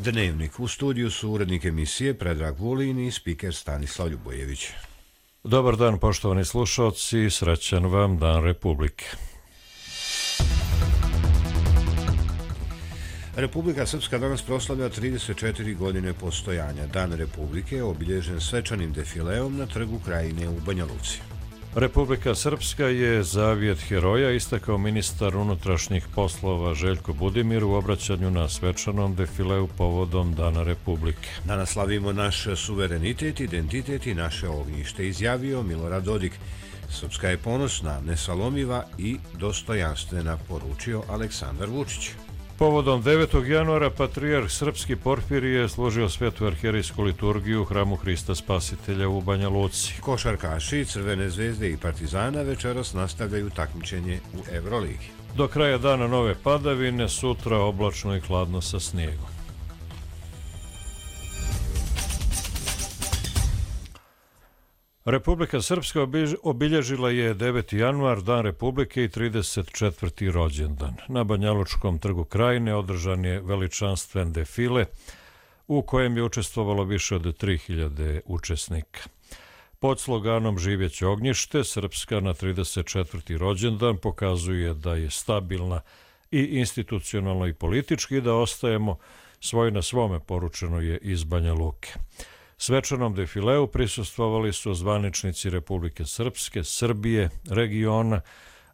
Dnevnik. U studiju su urednik emisije Predrag Vulin i spiker Stanislav Ljubojević. Dobar dan, poštovani slušalci, srećan vam Dan Republike. Republika Srpska danas proslavlja 34 godine postojanja. Dan Republike je obilježen svečanim defileom na Trgu Krajine u Banja Luci. Republika Srpska je zavjet heroja, istakao ministar unutrašnjih poslova Željko Budimir u obraćanju na svečanom defileu povodom Dana Republike. Danas slavimo naš suverenitet, identitet i naše ognjište, izjavio Milorad Dodik. Srpska je ponosna, nesalomiva i dostojanstvena, poručio Aleksandar Vučić. Povodom 9. januara patrijarh srpski Porfirije složio svetu arhijerejsku liturgiju u hramu Hrista Spasitelja u Banja Luci. Košarkaši Crvene zvezde i Partizana večeras nastavljaju takmičenje u Evroligi. Do kraja dana nove padavine, sutra oblačno i hladno sa snijegom. Republika Srpska obilježila je 9. januar, Dan Republike i 34. rođendan. Na Banjalučkom trgu Krajine održan je veličanstven defile u kojem je učestvovalo više od 3000 učesnika. Pod sloganom Živjeće ognjište, Srpska na 34. rođendan pokazuje da je stabilna i institucionalno i politički, da ostajemo svoj na svome, poručeno je iz Banja Luke. Svečanom defileu prisustvovali su zvaničnici Republike Srpske, Srbije, regiona,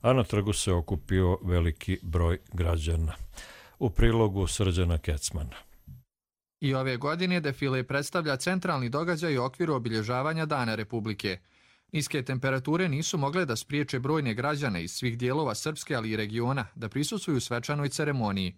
a na trgu se okupio veliki broj građana. U prilogu Srđana Kecmana. I ove godine defile predstavlja centralni događaj u okviru obilježavanja Dana Republike. Niske temperature nisu mogle da spriječe brojne građane iz svih dijelova Srpske, ali i regiona, da prisustvuju svečanoj ceremoniji.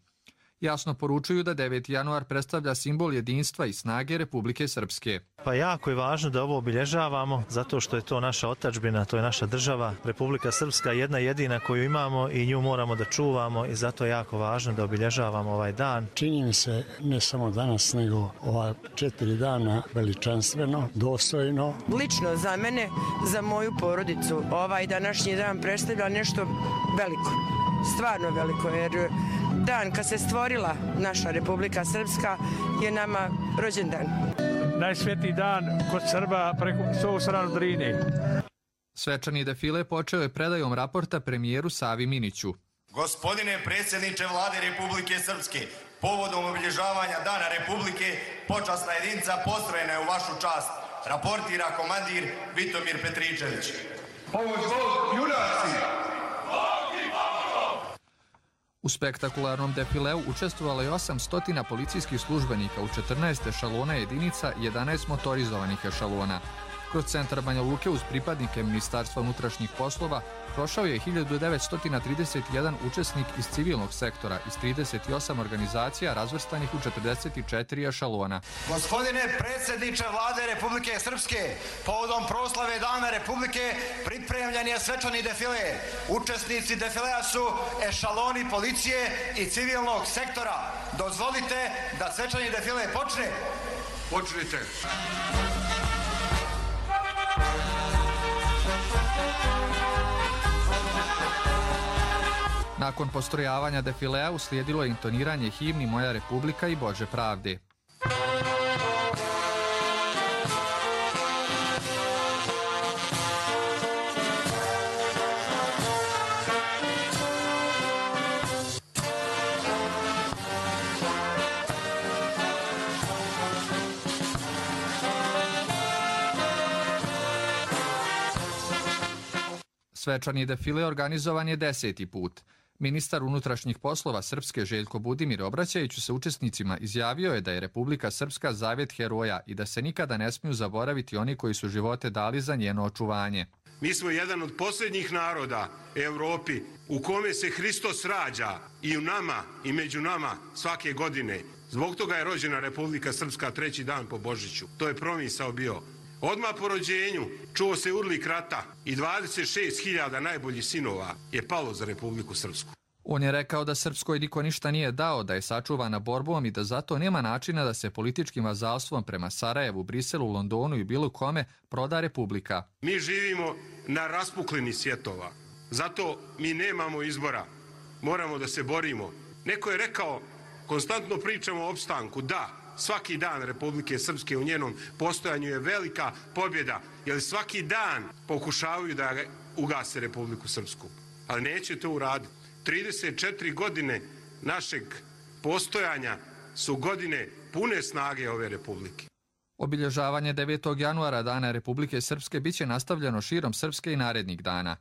Jasno poručuju da 9. januar predstavlja simbol jedinstva i snage Republike Srpske. Pa jako je važno da ovo obilježavamo, zato što je to naša otadžbina, to je naša država. Republika Srpska je jedna jedina koju imamo i nju moramo da čuvamo i zato je jako važno da obilježavamo ovaj dan. Čini mi se ne samo danas, nego ova 4 dana veličanstveno, dostojno. Lično za mene, za moju porodicu, ovaj današnji dan predstavlja nešto veliko, stvarno veliko, jer dan kad se stvorila naša Republika Srpska je nama rođendan. Najsvetiji dan kod Srba preko svoju stranu Drine. Svečani defile počeo je predajom raporta premijeru Savi Miniću. Gospodine predsjedniče Vlade Republike Srpske, povodom obilježavanja Dana Republike, počasna jedinica postrojena je u vašu čast. Raportira komandir Vitomir Petričević. Ovo zbog junaci! U spektakularnom defileu učestvovalo je 800 policijskih službenika u 14 ešalona jedinica i 11 motorizovanih ešalona. Kroz centar Banja Luke uz pripadnike Ministarstva unutrašnjih poslova prošao je 1931 učesnik iz civilnog sektora iz 38 organizacija razvrstanih u 44 ešalona. Gospodine predsjedniče Vlade Republike Srpske, povodom proslave Dana Republike pripremljen je svečani defile. Učesnici defilea su ešaloni policije i civilnog sektora. Dozvolite da svečani defile počne. Počnite. Nakon postrojavanja defilea uslijedilo je intoniranje himni Moja Republika i Bože pravde. Svečani defile organizovan je 10. put. Ministar unutrašnjih poslova Srpske Željko Budimir, obraćajući se učesnicima, izjavio je da je Republika Srpska zavjet heroja i da se nikada ne smiju zaboraviti oni koji su živote dali za njeno očuvanje. Mi smo jedan od posljednjih naroda Europi u kome se Hristos rađa i u nama i među nama svake godine. Zbog toga je rođena Republika Srpska 3. dan po Božiću. To je promisao bio. Odmah po rođenju čuo se urlik rata i 26.000 najboljih sinova je palo za Republiku Srpsku. On je rekao da Srpskoj niko ništa nije dao, da je sačuvana borbom i da zato nema načina da se političkim vazalstvom prema Sarajevu, Briselu, Londonu i bilo kome proda Republika. Mi živimo na raspuklini svjetova, zato mi nemamo izbora, moramo da se borimo. Neko je rekao, konstantno pričamo o opstanku, da, svaki dan Republike Srpske u njenom postojanju je velika pobjeda, jer svaki dan pokušavaju da ugase Republiku Srpsku. Ali neće to uraditi. 34 godine našeg postojanja su godine pune snage ove republike. Obilježavanje 9. januara Dana Republike Srpske biće nastavljeno širom Srpske i narednih dana.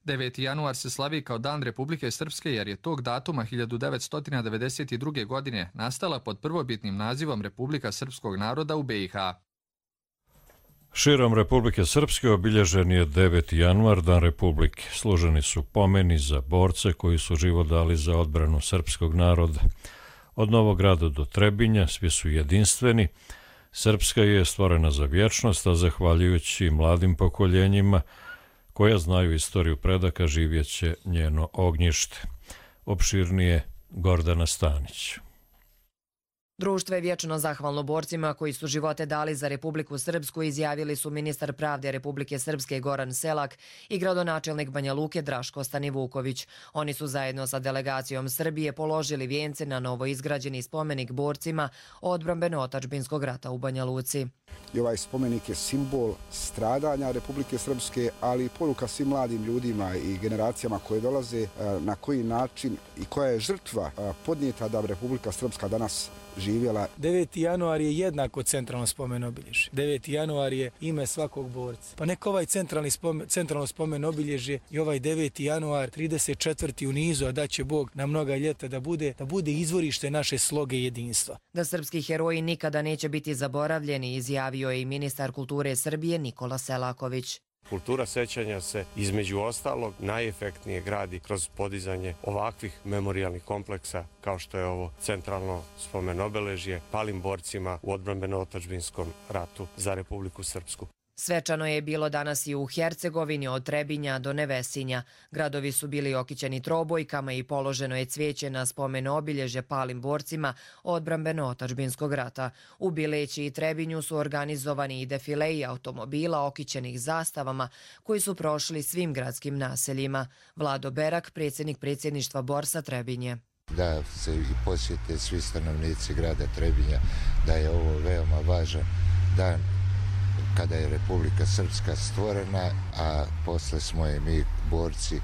9. januar se slavi kao Dan Republike Srpske jer je tog datuma 1992. godine nastala pod prvobitnim nazivom Republika Srpskog naroda u BiH. Širom Republike Srpske obilježen je 9. januar, Dan Republike. Služeni su pomeni za borce koji su život dali za odbranu srpskog naroda. Od Novog Grada do Trebinja svi su jedinstveni. Srpska je stvorena za vječnost, a zahvaljujući mladim pokoljenjima koja znaju istoriju predaka živjeće njeno ognjište. Opširnije Gordana Stanić. Društvo je vječno zahvalno borcima koji su živote dali za Republiku Srpsku, izjavili su ministar pravde Republike Srpske Goran Selak i gradonačelnik Banja Luke Draško Stanivuković. Oni su zajedno sa delegacijom Srbije položili vijence na novo izgrađeni spomenik borcima odbrambeno-otadžbinskog rata u Banja Luci. I ovaj spomenik je simbol stradanja Republike Srpske, ali i poruka svim mladim ljudima i generacijama koje dolaze na koji način i koja je žrtva podnijeta da Republika Srpska danas živjela. 9. januar je jednako centralno spomen obilježje. 9. januar je ime svakog borca. Pa neka ovaj centralno spomen obilježje i ovaj 9. januar 34. u nizu, a da će Bog na mnoga ljeta da bude izvorište naše sloge jedinstva. Da srpski heroji nikada neće biti zaboravljeni, izjavio je i ministar kulture Srbije Nikola Selaković. Kultura sećanja se između ostalog najefektnije gradi kroz podizanje ovakvih memorijalnih kompleksa kao što je ovo centralno spomen obeležje palim borcima u odbrambeno-otadžbinskom ratu za Republiku Srpsku. Svečano je bilo danas i u Hercegovini od Trebinja do Nevesinja. Gradovi su bili okićeni trobojkama i položeno je cvijeće na spomen obilježje palim borcima odbrambeno-otadžbinskog rata. U Bileći i Trebinju su organizovani i defileji automobila okićenih zastavama koji su prošli svim gradskim naseljima. Vlado Berak, predsjednik predsjedništva Borsa Trebinje. Da se i posjete svi stanovnici grada Trebinja da je ovo veoma važan dan kada je Republika Srpska stvorena, a posle smo je mi borci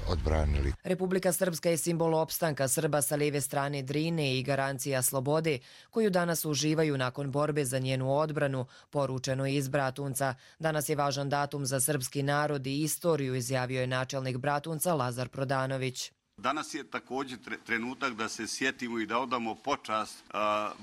odbranili. Republika Srpska je simbol opstanka Srba sa lijeve strane Drine i garancija slobode koju danas uživaju nakon borbe za njenu odbranu, poručeno je iz Bratunca. Danas je važan datum za srpski narod i istoriju, izjavio je načelnik Bratunca Lazar Prodanović. Danas je također trenutak da se sjetimo i da odamo počast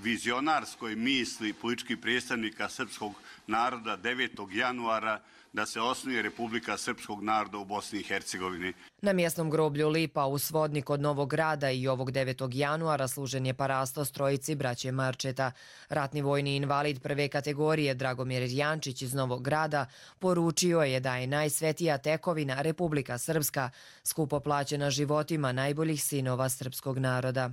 vizionarskoj misli političkih predstavnika srpskog naroda 9. januara da se osnuje Republika Srpskog naroda u Bosni i Hercegovini. Na mjesnom groblju Lipa u Svodnik od Novog Grada i ovog 9. januara služen je parastos trojici braće Marčeta. Ratni vojni invalid prve kategorije Dragomir Jančić iz Novog Grada poručio je da je najsvetija tekovina Republika Srpska, skupo plaćena životima najboljih sinova srpskog naroda.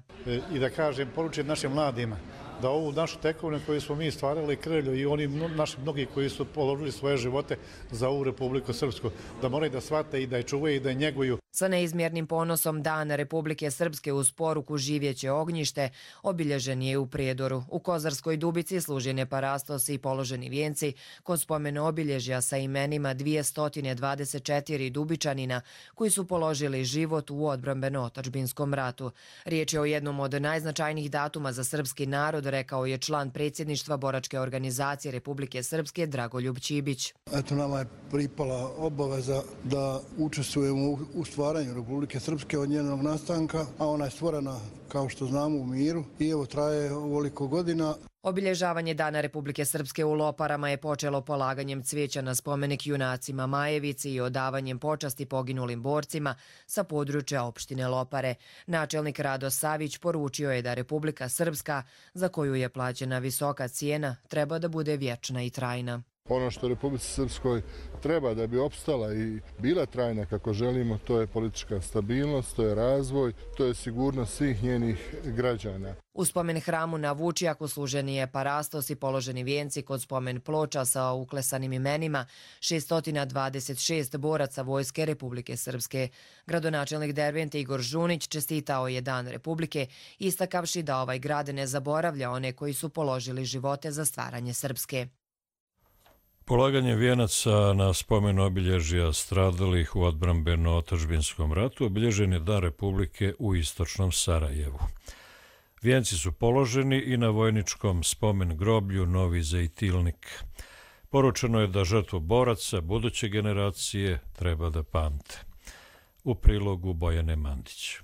I da kažem, poručujem našim mladima da ovu našu tekovinu koju smo mi stvarali krvlju i oni naši mnogi koji su položili svoje živote za ovu Republiku Srpsku, da moraju da shvate i da je čuvaju i da je njeguju. Sa neizmjernim ponosom Dan Republike Srpske uz poruku živjeće ognjište obilježen je u Prijedoru. U Kozarskoj Dubici služen je parastos i položeni vijenci kod spomen obilježja sa imenima 224 Dubičanina koji su položili život u odbrambeno-otadžbinskom ratu. Riječ je o jednom od najznačajnijih datuma za srpski narod, rekao je član predsjedništva boračke organizacije Republike Srpske Dragoljub Ćibić. Eto, nama je pripala obaveza da učestvujemo u stvaranju Republike Srpske od njenog nastanka, a ona je stvorena, kao što znamo, u miru i evo traje ovoliko godina. Obilježavanje Dana Republike Srpske u Loparama je počelo polaganjem cvijeća na spomenik junacima Majevici i odavanjem počasti poginulim borcima sa područja opštine Lopare. Načelnik Rado Savić poručio je da Republika Srpska, za koju je plaćena visoka cijena, treba da bude vječna i trajna. Ono što Republici Srpskoj treba da bi opstala i bila trajna kako želimo, to je politička stabilnost, to je razvoj, to je sigurnost svih njenih građana. U spomen hramu na Vučijaku služeni je parastos i položeni vijenci kod spomen ploča sa uklesanim imenima 626 boraca Vojske Republike Srpske. Gradonačelnik Dervente Igor Žunić čestitao je Dan Republike, istakavši da ovaj grad ne zaboravlja one koji su položili živote za stvaranje Srpske. Polaganje vijenaca na spomen obilježja stradalih u odbrambeno-otadžbinskom ratu obilježen je Dan Republike u istočnom Sarajevu. Vijenci su položeni i na vojničkom spomen groblju Novi Zejtilnik. Poručeno je da žrtvu boraca buduće generacije treba da pamte. U prilogu Bojane Mandić.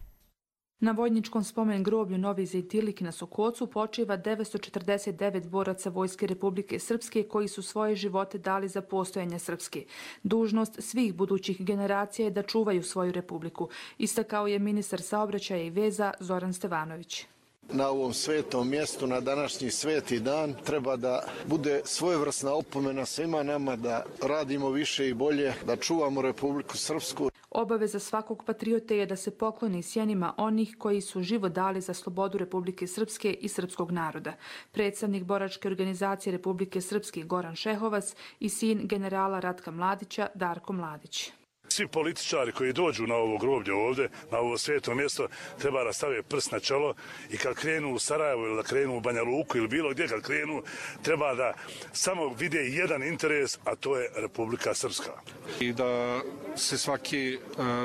Na vojničkom spomen groblju Novi Zejtilnik na Sokocu počiva 949 boraca Vojske Republike Srpske koji su svoje živote dali za postojanje Srpske. Dužnost svih budućih generacija je da čuvaju svoju republiku, istakao je ministar saobraćaja i veza Zoran Stevanović. Na ovom svetom mjestu, na današnji sveti dan, treba da bude svojevrsna opomena svima nama da radimo više i bolje, da čuvamo Republiku Srpsku. Obaveza svakog patriote je da se pokloni sjenima onih koji su život dali za slobodu Republike Srpske i srpskog naroda. Predstavnik boračke organizacije Republike Srpske Goran Šehovac i sin generala Ratka Mladića Darko Mladić. Svi političari koji dođu na ovo groblje ovdje, na ovo sveto mjesto, treba da stave prst na čelo i kad krenu u Sarajevo ili da krenu u Banja Luku ili bilo gdje kad krenu, treba da samo vide jedan interes, a to je Republika Srpska. I da se svaki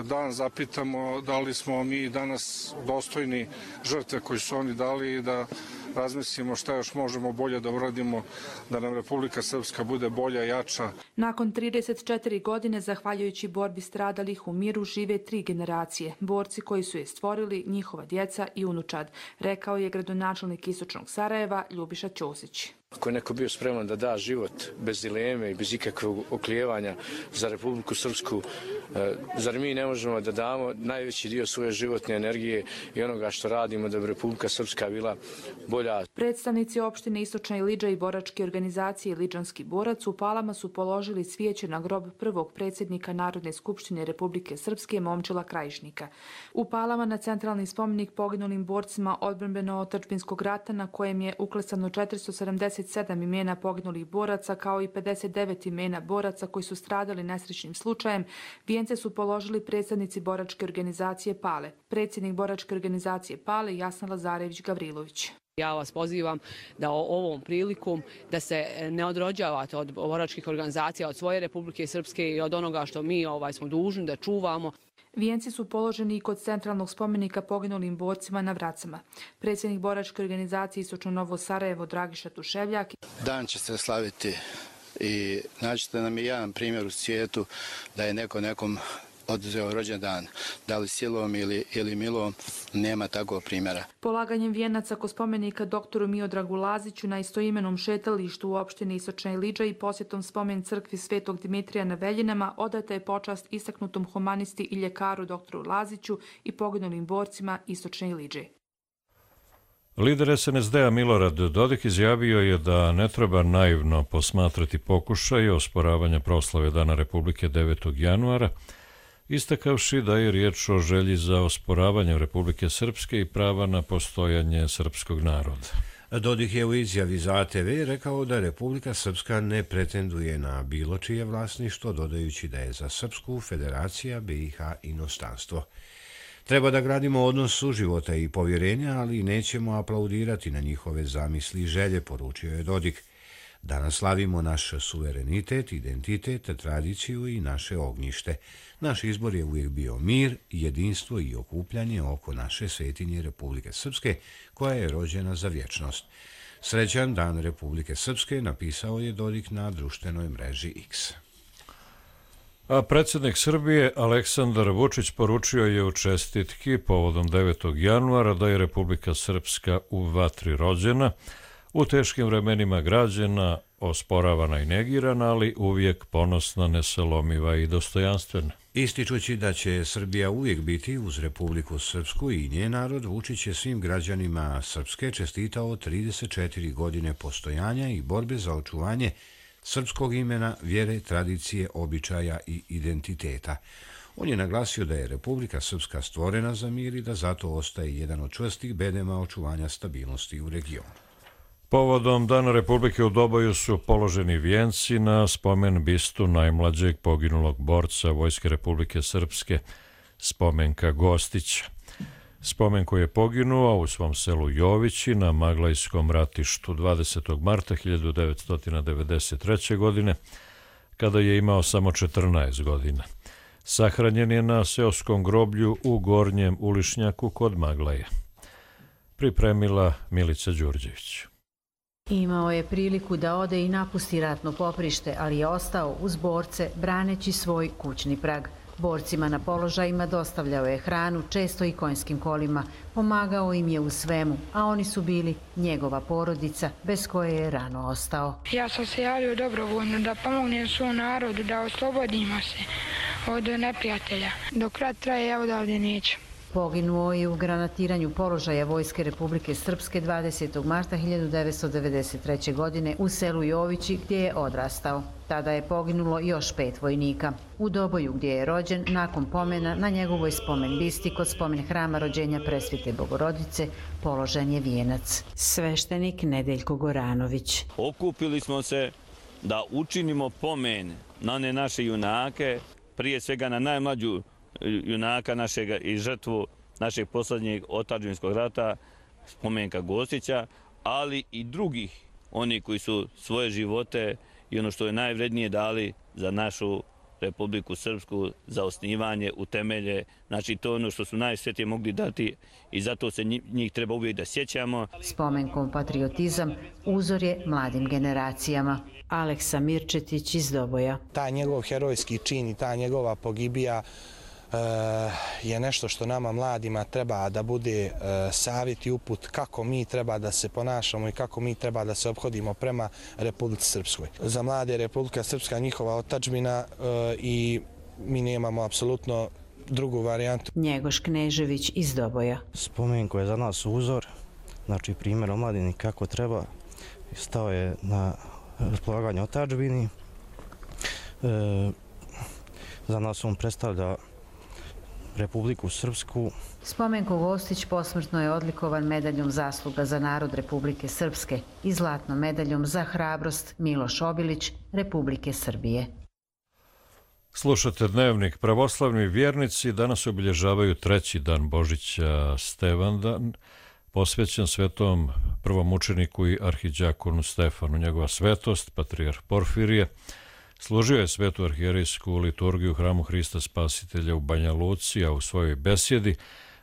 dan zapitamo da li smo mi danas dostojni žrtve koje su oni dali i da razmislimo šta još možemo bolje da uradimo da nam Republika Srpska bude bolja, jača. Nakon 34 godine, zahvaljujući borbi stradalih u miru, žive 3 generacije. Borci koji su je stvorili, njihova djeca i unučad, rekao je gradonačelnik Istočnog Sarajeva Ljubiša Ćosić. Ako je neko bio spreman da da život bez dileme i bez ikakvog oklijevanja za Republiku Srpsku, zar mi ne možemo da damo najveći dio svoje životne energije i onoga što radimo da bi Republika Srpska bila bolja? Predstavnici opštine Istočna Ilidža i boračke organizacije Ilidžanski borac u Palama su položili cvijeće na grob prvog predsjednika Narodne skupštine Republike Srpske Momčila Krajišnika. U Palama na centralni spomenik poginulim borcima odbrambeno-otadžbinskog rata na kojem je uklesano 477 imena poginulih boraca kao i 59 imena boraca koji su stradali nesrećnim slučajem, vijence su položili predstavnici boračke organizacije Pale. Predsjednik boračke organizacije Pale Jasna Lazarević-Gavrilović. Ja vas pozivam da ovom prilikom da se ne odrođavate od boračkih organizacija, od svoje Republike Srpske i od onoga što mi smo dužni da čuvamo. Vijenci su položeni i kod centralnog spomenika poginulim borcima na Vracama. Predsjednik boračke organizacije Istočno Novo Sarajevo Dragiša Tuševljak. Dan će se slaviti i naćete nam i jedan primjer u svijetu da je neko nekom oduzeo rođendan, da li silom ili milom, nema takvog primjera. Polaganjem vijenaca kod spomenika doktoru Miodragu Laziću na istoimenom šetalištu u opštini Istočna Ilidža i posjetom spomen crkvi Svetog Dimitrija na Veljinama odata je počast istaknutom humanisti i ljekaru doktoru Laziću i poginulim borcima Istočne Ilidže. Lider SNSD-a Milorad Dodik izjavio je da ne treba naivno posmatrati pokušaj osporavanja proslave Dana Republike 9. januara, istakavši da je riječ o želji za osporavanje Republike Srpske i prava na postojanje srpskog naroda. Dodik je u izjavi za ATV rekao da Republika Srpska ne pretenduje na bilo čije vlasništvo, dodajući da je za Srpsku federacija BiH inostanstvo. Treba da gradimo odnos suživota i povjerenja, ali nećemo aplaudirati na njihove zamisli i želje, poručio je Dodik. Danas slavimo naš suverenitet, identitet, tradiciju i naše ognjište. Naš izbor je uvijek bio mir, jedinstvo i okupljanje oko naše svetinje Republike Srpske, koja je rođena za vječnost. Srećan Dan Republike Srpske, napisao je Dodik na društvenoj mreži X. A predsjednik Srbije Aleksandar Vučić poručio je u čestitki povodom 9. januara da je Republika Srpska u vatri rođena, u teškim vremenima građena, osporavana i negirana, ali uvijek ponosna, nesalomiva i dostojanstvena. Ističući da će Srbija uvijek biti uz Republiku Srpsku i njen narod, Vučić je svim građanima Srpske čestitao 34 godine postojanja i borbe za očuvanje srpskog imena, vjere, tradicije, običaja i identiteta. On je naglasio da je Republika Srpska stvorena za mir i da zato ostaje jedan od čvrstih bedema očuvanja stabilnosti u regionu. Povodom Dana Republike u Doboju su položeni vijenci na spomen bistu najmlađeg poginulog borca Vojske Republike Srpske, Spomenka Gostića. Spomenko je poginuo u svom selu Jovići na Maglajskom ratištu 20. marta 1993. godine, kada je imao samo 14 godina. Sahranjen je na seoskom groblju u Gornjem Ulišnjaku kod Maglaja. Pripremila Milica Đurđević. Imao je priliku da ode i napusti ratno poprište, ali je ostao uz borce braneći svoj kućni prag. Borcima na položajima dostavljao je hranu, često i konjskim kolima. Pomagao im je u svemu, a oni su bili njegova porodica, bez koje je rano ostao. Ja sam se javio dobrovoljno da pomognem svom narodu, da oslobodimo se od neprijatelja. Dok rat traje, ja odavde neću. Poginuo je u granatiranju položaja Vojske Republike Srpske 20. marta 1993. godine u selu Jovići gdje je odrastao. Tada je poginulo još 5 vojnika. U Doboju gdje je rođen, nakon pomena na njegovoj spomen bisti kod spomen hrama rođenja Presvete Bogorodice položen je vijenac. Sveštenik Nedeljko Goranović. Okupili smo se da učinimo pomen na one naše junake, prije svega na najmlađu junaka našega i žrtvu našeg posljednjeg otadžbinskog rata, Spomenka Gostića, ali i drugih, oni koji su svoje živote i ono što je najvrednije dali za našu Republiku Srpsku, za osnivanje u temelje. Znači to je ono što su najsvetije mogli dati i zato se njih treba uvijek da sjećamo. Spomenkom patriotizam uzor je mladim generacijama. Aleksa Mirčetić iz Doboja. Taj njegov herojski čin i ta njegova pogibija je nešto što nama mladima treba da bude savjet i uput kako mi treba da se ponašamo i kako mi treba da se ophodimo prema Republici Srpskoj. Za mlade Republika Srpska njihova otadžbina i mi nemamo apsolutno drugu varijantu. Njegoš Knežević iz Doboja. Spomenko je za nas uzor, znači primjer omladini kako treba. Stao je na raspolaganje otadžbini. Za nas on predstavlja Republiku Srpsku. Spomenko Gostić posmrtno je odlikovan medaljom zasluga za narod Republike Srpske i zlatnom medaljom za hrabrost Miloš Obilić Republike Srbije. Slušate Dnevnik. Pravoslavni vjernici danas obilježavaju 3. dan Božića Stevandan, posvećen svetom prvomučeniku i arhiđakonu Stefanu. Njegova svetost, patrijarh Porfirije, služio je svetu arhijerejsku liturgiju u hramu Hrista Spasitelja u Banja Luci, a u svojoj besjedi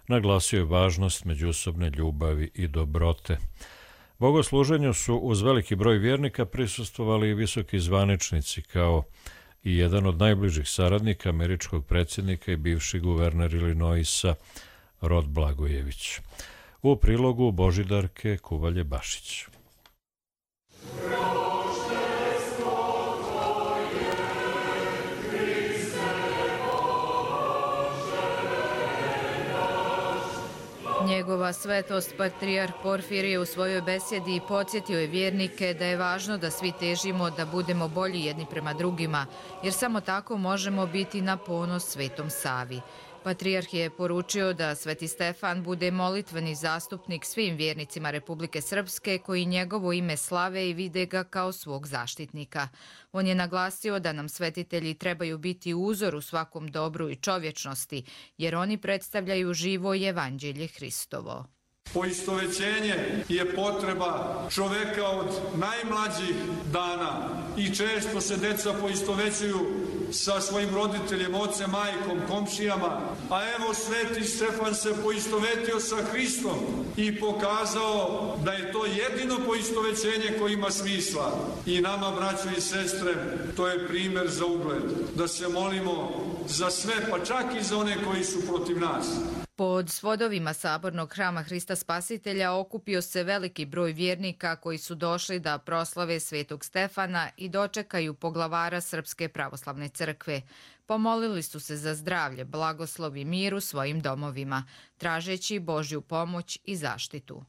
naglasio je važnost međusobne ljubavi i dobrote. Bogosluženju su uz veliki broj vjernika prisustvovali i visoki zvaničnici, kao i jedan od najbližih saradnika američkog predsjednika i bivši guverner Illinoisa Rod Blagojević. U prilogu Božidarke Kuvalje-Bašić. Njegova svetost patrijarh Porfirije u svojoj besjedi podsjetio je vjernike da je važno da svi težimo da budemo bolji jedni prema drugima, jer samo tako možemo biti na ponos Svetom Savi. Patrijarh je poručio da Sveti Stefan bude molitveni zastupnik svim vjernicima Republike Srpske koji njegovo ime slave i vide ga kao svog zaštitnika. On je naglasio da nam svetitelji trebaju biti uzor u svakom dobru i čovječnosti, jer oni predstavljaju živo evanđelje Hristovo. Poistovećenje je potreba čoveka od najmlađih dana i često se deca poistovećuju sa svojim roditeljem, ocem, majkom, komšijama, a evo Sveti Stefan se poistovetio sa Hristom i pokazao da je to jedino poistovećenje koje ima smisla. I nama, braćo i sestre, to je primjer za ugled, da se molimo za sve, pa čak i za one koji su protiv nas. Pod svodovima Sabornog hrama Hrista Spasitelja okupio se veliki broj vjernika koji su došli da proslave Svetog Stefana i dočekaju poglavara Srpske pravoslavne crkve. Pomolili su se za zdravlje, blagoslov i mir u svojim domovima, tražeći Božju pomoć i zaštitu.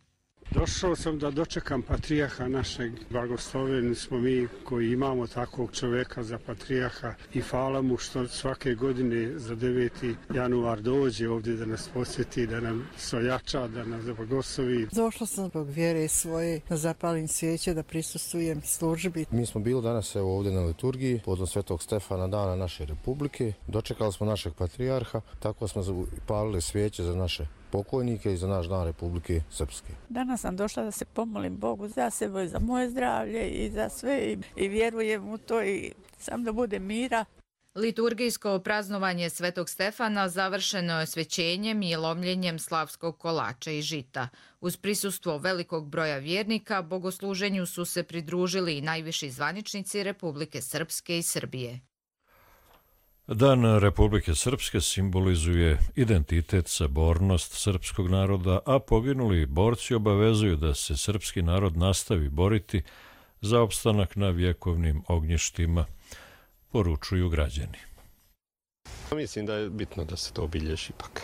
Došao sam da dočekam patrijarha našeg. Blagosloveni smo mi koji imamo takvog čoveka za patrijarha i hvala mu što svake godine za 9. januar dođe ovdje da nas posjeti, da nam sojača, da nas blagoslovi. Došla sam zbog vjere svoje da zapalim svijeće, da prisustvujem službi. Mi smo bili danas ovdje na liturgiji povodom Svetog Stefana, dana naše republike. Dočekali smo našeg patrijarha, tako smo zapalili svijeće za naše pokojnike i za naš dan Republike Srpske. Danas sam došla da se pomolim Bogu za sebe, za moje zdravlje i za sve i vjerujem u to i sam da bude mira. Liturgijsko praznovanje Svetog Stefana završeno je svećenjem i lomljenjem slavskog kolača i žita. Uz prisustvo velikog broja vjernika, bogosluženju su se pridružili i najviši zvaničnici Republike Srpske i Srbije. Dan Republike Srpske simbolizuje identitet, sabornost srpskog naroda, a poginuli borci obavezuju da se srpski narod nastavi boriti za opstanak na vjekovnim ognjištima, poručuju građani. Mislim da je bitno da se to obilježi ipak.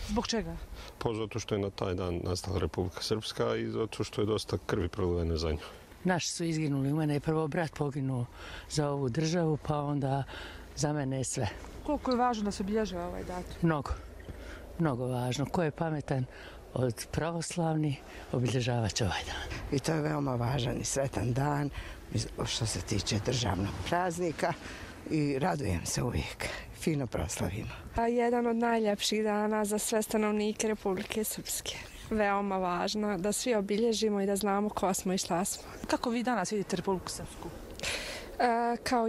Zbog čega? Pa zato što je na taj dan nastala Republika Srpska i zato što je dosta krvi prolivene za nju. Naši su izginuli, u mene je prvo brat poginuo za ovu državu, pa onda za mene je sve. Koliko je važno da se obilježava ovaj datum? Mnogo, mnogo važno. Ko je pametan od pravoslavni, obilježavat će ovaj dan. I to je veoma važan i sretan dan što se tiče državnog praznika i radujem se uvijek. Fino proslavimo. Jedan od najljepših dana za sve stanovnike Republike Srpske. Veoma važno da svi obilježimo i da znamo ko smo i šta smo. Kako vi danas vidite Republiku Srpsku? Kao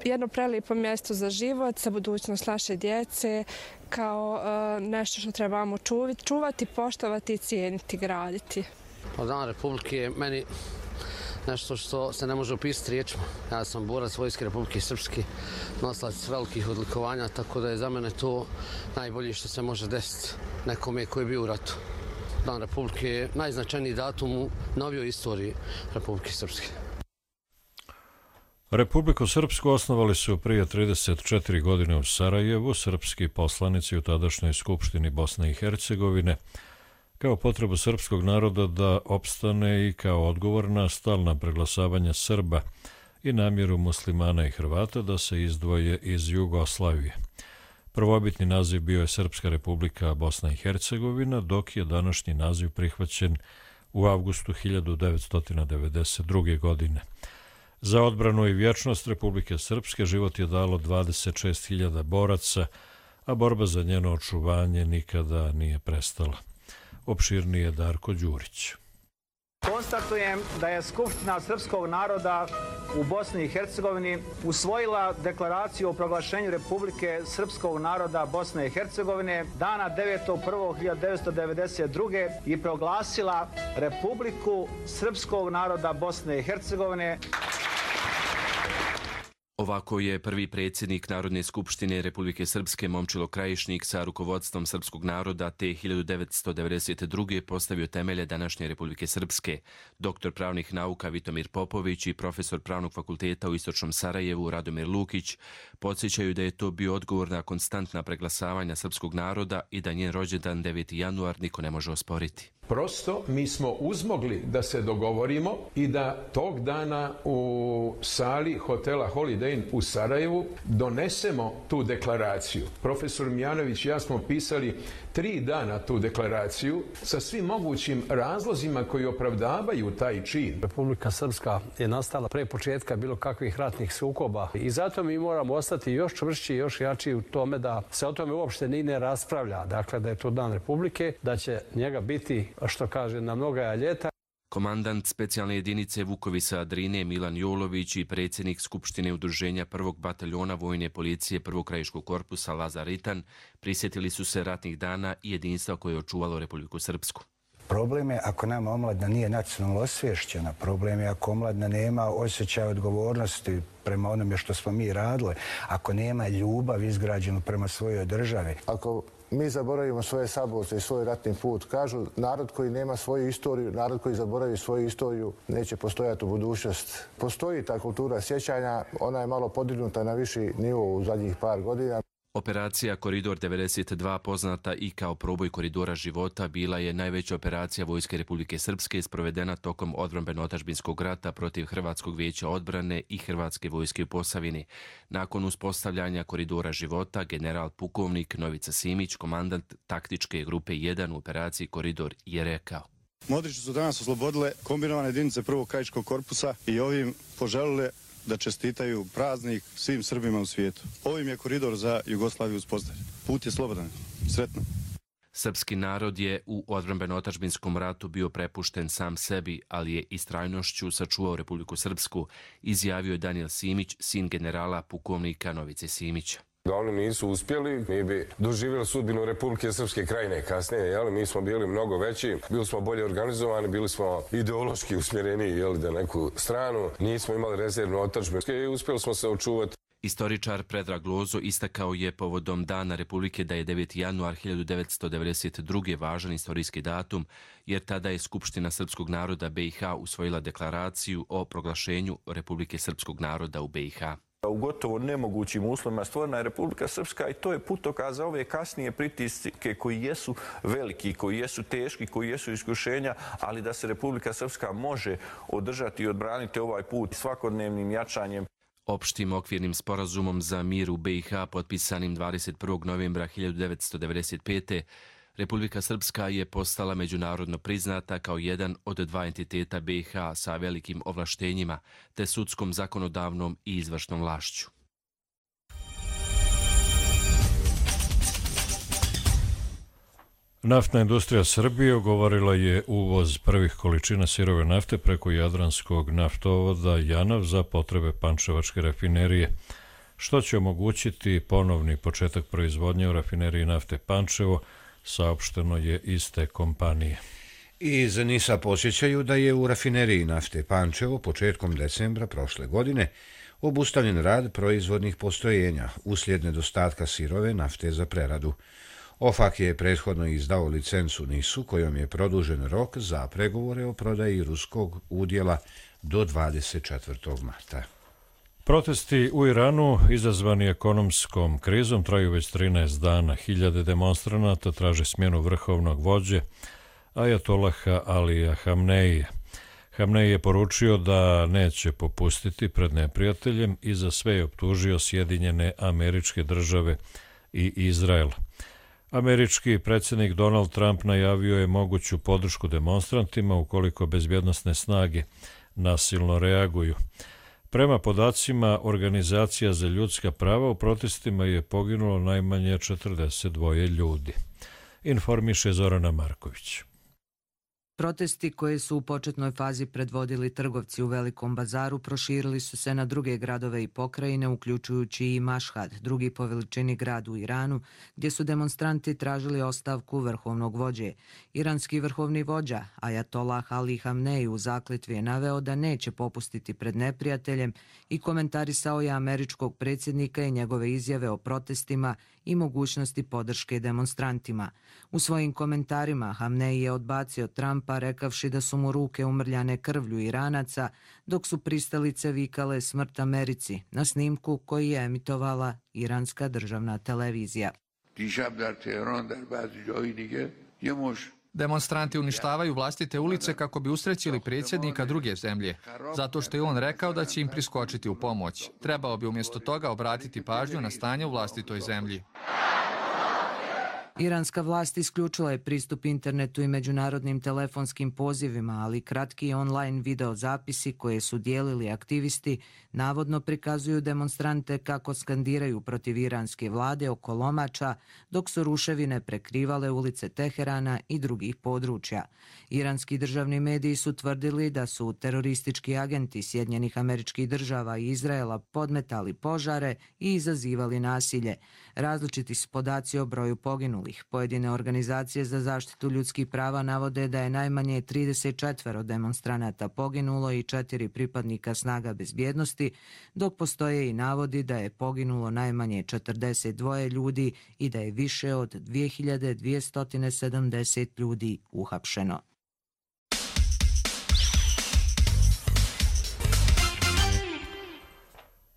jedno prelijepo mjesto za život, za budućnost naše djece, kao nešto što trebamo čuvati, poštovati, cijeniti, graditi. Dan Republike je meni nešto što se ne može opisati riječima. Ja sam borac Vojske Republike Srpske, nosilac velikih odlikovanja, tako da je za mene to najbolje što se može desiti nekome koji je bio u ratu. Dan Republike je najznačajniji datum u novijoj istoriji Republike Srpske. Republiku Srpsku osnovali su prije 34 godine u Sarajevu srpski poslanici u tadašnjoj Skupštini Bosne i Hercegovine kao potrebu srpskog naroda da opstane i kao odgovor na stalna preglasavanja Srba i namjeru muslimana i Hrvata da se izdvoje iz Jugoslavije. Prvobitni naziv bio je Srpska republika Bosna i Hercegovina, dok je današnji naziv prihvaćen u avgustu 1992. godine. Za odbranu i vječnost Republike Srpske život je dalo 26.000 boraca, a borba za njeno očuvanje nikada nije prestala. Opširnije Darko Đurić. Konstatujem da je Skupština srpskog naroda u Bosni i Hercegovini usvojila deklaraciju o proglašenju Republike srpskog naroda Bosne i Hercegovine dana 9.1.1992. i proglasila Republiku srpskog naroda Bosne i Hercegovine. Ovako je prvi predsjednik Narodne skupštine Republike Srpske Momčilo Krajišnik sa rukovodstvom srpskog naroda te 1992. postavio temelje današnje Republike Srpske. Doktor pravnih nauka Vitomir Popović i profesor pravnog fakulteta u Istočnom Sarajevu Radomir Lukić podsjećaju da je to bio odgovor na konstantna preglasavanja srpskog naroda i da njen rođendan 9. januar niko ne može osporiti. Prosto mi smo uzmogli da se dogovorimo i da tog dana u sali hotela Holiday Inn u Sarajevu donesemo tu deklaraciju. Profesor Mijanović i ja smo pisali 3 dana tu deklaraciju sa svim mogućim razlozima koji opravdavaju taj čin. Republika Srpska je nastala pre početka bilo kakvih ratnih sukoba i zato mi moramo ostati još čvršći i još jači u tome da se o tome uopšte ni ne raspravlja. Dakle, da je to dan Republike, da će njega biti, što kaže, na mnoga ljeta. Komandant specijalne jedinice Vukovisa Drine Milan Jolović i predsjednik Skupštine udruženja 1. bataljona Vojne policije 1. krajiškog korpusa Lazar Ritan prisjetili su se ratnih dana i jedinstva koje je očuvalo Republiku Srpsku. Problem je ako nama omladina nije nacionalno osvješćena, problem je ako omladina nema osjećaj odgovornosti prema onome što smo mi radili, ako nema ljubav izgrađenu prema svojoj državi. Ako mi zaboravimo svoje saborce i svoj ratni put, kažu narod koji nema svoju istoriju, narod koji zaboravi svoju istoriju neće postojati u budućnost. Postoji ta kultura sjećanja, ona je malo podignuta na viši nivo u zadnjih par godina. Operacija Koridor 92, poznata i kao proboj koridora života, bila je najveća operacija Vojske Republike Srpske sprovedena tokom odbrambeno-otadžbinskog rata protiv Hrvatskog vijeća odbrane i Hrvatske vojske u Posavini. Nakon uspostavljanja Koridora života, general pukovnik Novica Simić, komandant taktičke grupe 1 u operaciji Koridor, je rekao: Modrići su danas oslobodile kombinovane jedinice prvog krajiškog korpusa i ovim poželile da čestitaju praznik svim Srbima u svijetu. Ovim je koridor za Jugoslaviju uspostavljen. Put je slobodan. Sretno. Srpski narod je u odbrambeno-otadžbinskom ratu bio prepušten sam sebi, ali je istrajnošću sačuvao Republiku Srpsku, izjavio je Danijel Simić, sin generala pukovnika Novice Simića. Da oni nisu uspjeli, mi bi doživjeli sudbinu Republike Srpske Krajine kasnije. Mi smo bili mnogo veći, bili smo bolje organizovani, bili smo ideološki usmjereni da neku stranu, nismo imali rezervnu otadžbinu i uspjeli smo se očuvati. Istoričar Predrag Lozo istakao je povodom Dana Republike da je 9. januar 1992. važan istorijski datum, jer tada je Skupština srpskog naroda BiH usvojila deklaraciju o proglašenju Republike srpskog naroda u BiH. U gotovo nemogućim uslovima stvorena je Republika Srpska i to je putokaz za ove kasnije pritiske koji jesu veliki, koji jesu teški, koji jesu iskušenja, ali da se Republika Srpska može održati i odbraniti ovaj put svakodnevnim jačanjem. Opštim okvirnim sporazumom za mir u BiH potpisanim 21. novembra 1995. Republika Srpska je postala međunarodno priznata kao jedan od dva entiteta BiH sa velikim ovlaštenjima, te sudskom, zakonodavnom i izvršnom vlašću. Naftna industrija Srbije ugovorila je uvoz prvih količina sirove nafte preko Jadranskog naftovoda Janav za potrebe Pančevačke rafinerije, što će omogućiti ponovni početak proizvodnje u rafineriji nafte Pančevo, saopšteno je iz te kompanije. Iz NIS-a posjećaju da je u rafineriji nafte Pančevo početkom decembra prošle godine obustavljen rad proizvodnih postrojenja uslijed nedostatka sirove nafte za preradu. OFAK je prethodno izdao licencu NIS-u kojom je produžen rok za pregovore o prodaji ruskog udjela do 24. marta. Protesti u Iranu, izazvani ekonomskom krizom, traju već 13 dana. Hiljade demonstranata traže smjenu vrhovnog vođe Ajatolaha Alija Hamneija. Hamnej je poručio da neće popustiti pred neprijateljem i za sve je optužio Sjedinjene Američke Države i Izrael. Američki predsjednik Donald Trump najavio je moguću podršku demonstrantima ukoliko bezbjednosne snage nasilno reaguju. Prema podacima Organizacija za ljudska prava, u protestima je poginulo najmanje 42 ljudi. Informiše Zorana Marković. Protesti koje su u početnoj fazi predvodili trgovci u Velikom bazaru proširili su se na druge gradove i pokrajine, uključujući i Mašhad, drugi po veličini grad u Iranu, gdje su demonstranti tražili ostavku vrhovnog vođe. Iranski vrhovni vođa Ajatollah Ali Hamnej u zakletvi je naveo da neće popustiti pred neprijateljem i komentarisao je američkog predsjednika i njegove izjave o protestima i mogućnosti podrške demonstrantima. U svojim komentarima Hamnej je odbacio Trumpa rekavši da su mu ruke umrljane krvlju Iranaca, dok su pristalice vikale smrt Americi na snimku koji je emitovala iranska državna televizija. Demonstranti uništavaju vlastite ulice kako bi usrećili predsjednika druge zemlje, zato što je on rekao da će im priskočiti u pomoć. Trebao bi umjesto toga obratiti pažnju na stanje u vlastitoj zemlji. Iranska vlast isključila je pristup internetu i međunarodnim telefonskim pozivima, ali kratki online video zapisi koje su dijelili aktivisti navodno prikazuju demonstrante kako skandiraju protiv iranske vlade oko lomača, dok su ruševine prekrivale ulice Teherana i drugih područja. Iranski državni mediji su tvrdili da su teroristički agenti Sjedinjenih Američkih Država i Izraela podmetali požare i izazivali nasilje. Različiti su podaci o broju poginulih. Pojedine organizacije za zaštitu ljudskih prava navode da je najmanje 34 demonstranata poginulo i 4 pripadnika snaga bezbjednosti, dok postoje i navodi da je poginulo najmanje 42 ljudi i da je više od 2270 ljudi uhapšeno.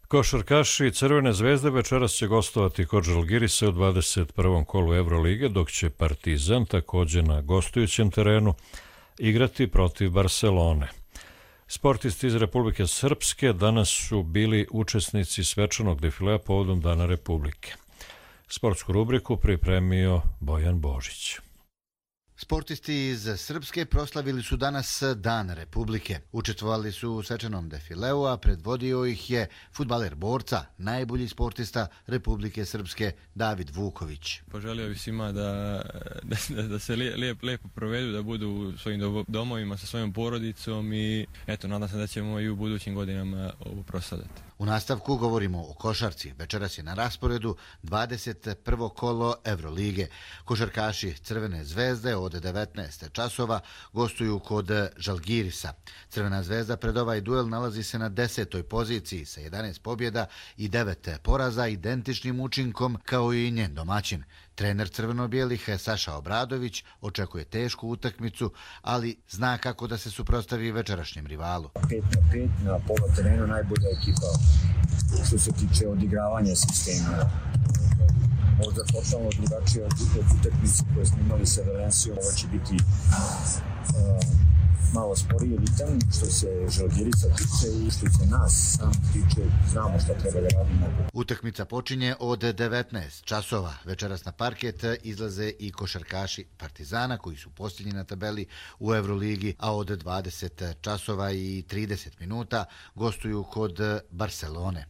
Košarkaši Crvene zvezde večeras će gostovati kod Žalgirisa u 21. kolu Evrolige, dok će Partizan također na gostujućem terenu igrati protiv Barcelone. Sportisti iz Republike Srpske danas su bili učesnici svečanog defilea povodom Dana Republike. Sportsku rubriku pripremio Bojan Božić. Sportisti iz Srpske proslavili su danas Dan Republike. Učestvovali su u svečanom defileu, a predvodio ih je fudbaler borca, najbolji sportista Republike Srpske David Vuković. Poželio bih svima da se lijepo provedu, da budu u svojim domovima sa svojom porodicom i eto, nadam se da ćemo i u budućim godinama ovo proslavljati. U nastavku govorimo o košarci. Večeras je na rasporedu 21. kolo Evrolige. Košarkaši Crvene zvezde od 19 časova gostuju kod Žalgirisa. Crvena zvezda pred ovaj duel nalazi se na 10. poziciji sa 11 pobjeda i 9 poraza, identičnim učinkom kao i njen domaćin. Trener crveno-bijelih Saša Obradović očekuje tešku utakmicu, ali zna kako da se suprotstavi večerašnjem rivalu. 5-5 na pola terenu najbolja ekipa što se tiče odigravanja sistema. Možda totalno drugačije od utakmice koje smo imali sa Valencijom. Ovo će biti malo sporiji ritam što se Žalgirisa tiče i što se nas sam tiče, znamo šta treba da radimo. Utakmica počinje od 19 časova. Večeras na parket izlaze i košarkaši Partizana koji su posljednji na tabeli u Evroligi, a od 20 časova i 30 minuta gostuju kod Barcelone.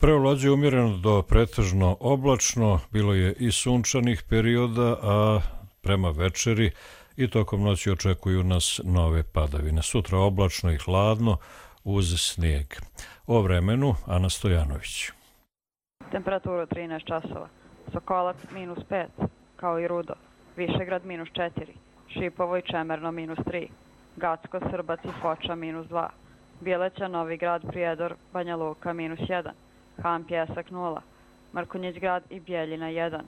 Prevlađe umjereno do pretežno oblačno, bilo je i sunčanih perioda, a prema večeri i tokom noći očekuju nas nove padavine. Sutra oblačno i hladno uz snijeg. O vremenu Ana Stojanović. Temperaturu 13 časova. Sokolac -5, kao i Rudo. Višegrad -4. Šipovo i Čemerno -3. Gacko, Srbac i Foča -2. Bjeleća, Novi Grad, Prijedor, Banja Luka -1. Han, Pjesak 0, Mrkonjić Grad i Bjeljina 1,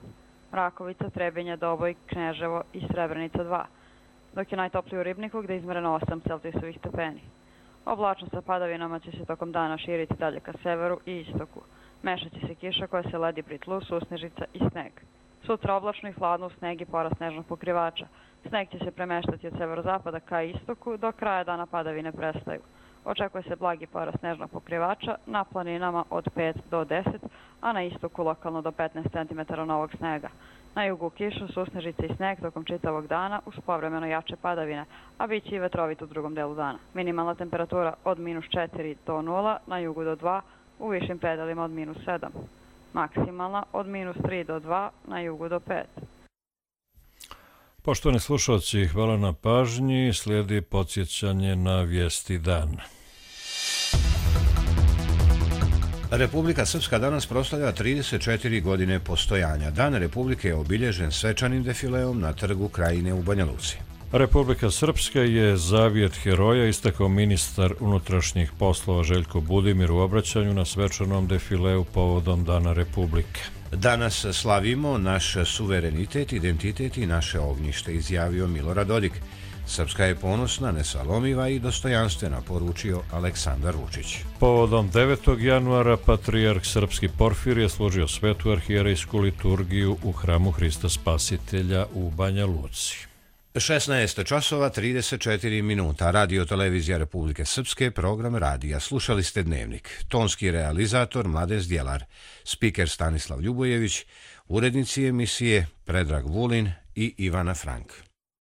Rakovica, Trebinje, Doboj, Kneževo i Srebrenica 2, dok je najtopliji u Ribniku gde je izmereno 8 Celzijusovih stepeni. Oblačno sa padavinama će se tokom dana širiti dalje ka severu i istoku. Mešaće se kiša koja se ledi pri tlu, susnežica i sneg. Sutra oblačno i hladno u sneg i porast snežnog pokrivača. Sneg će se premeštati od severozapada ka istoku, do kraja dana padavine prestaju. Očekuje se blagi porast snežnog pokrivača, na planinama od 5 do 10, a na istoku lokalno do 15 cm novog snega. Na jugu kišu, susnežice i sneg tokom čitavog dana uz povremeno jače padavine, a bit će i vetrovit u drugom delu dana. Minimalna temperatura od -4 do 0, na jugu do 2, u višim predelima od -7. Maksimalna od -3 do 2, na jugu do 5. Poštovani slušalci, hvala na pažnji. Slijedi podsjećanje na vijesti dana. Republika Srpska danas proslavlja 34 godine postojanja. Dan Republike je obilježen svečanim defileom na Trgu Krajine u Banja Luci. Republika Srpska je zavijet heroja, istakao ministar unutrašnjih poslova Željko Budimir u obraćanju na svečanom defileu povodom Dana Republike. Danas slavimo naš suverenitet, identitet i naše ognjište, izjavio Milorad Dodik. Srpska je ponosna, nesalomiva i dostojanstvena, poručio Aleksandar Vučić. Povodom 9. januara patrijarh srpski Porfirije složio svetu arhijerejsku liturgiju u hramu Hrista Spasitelja u Banja Luci. 16 časova 34 minuta. Radio Televizija Republike Srpske, program radija. Slušali ste Dnevnik. Tonski realizator Mladen Zdjelar, spiker Stanislav Ljubojević, urednici emisije Predrag Vulin i Ivana Frank.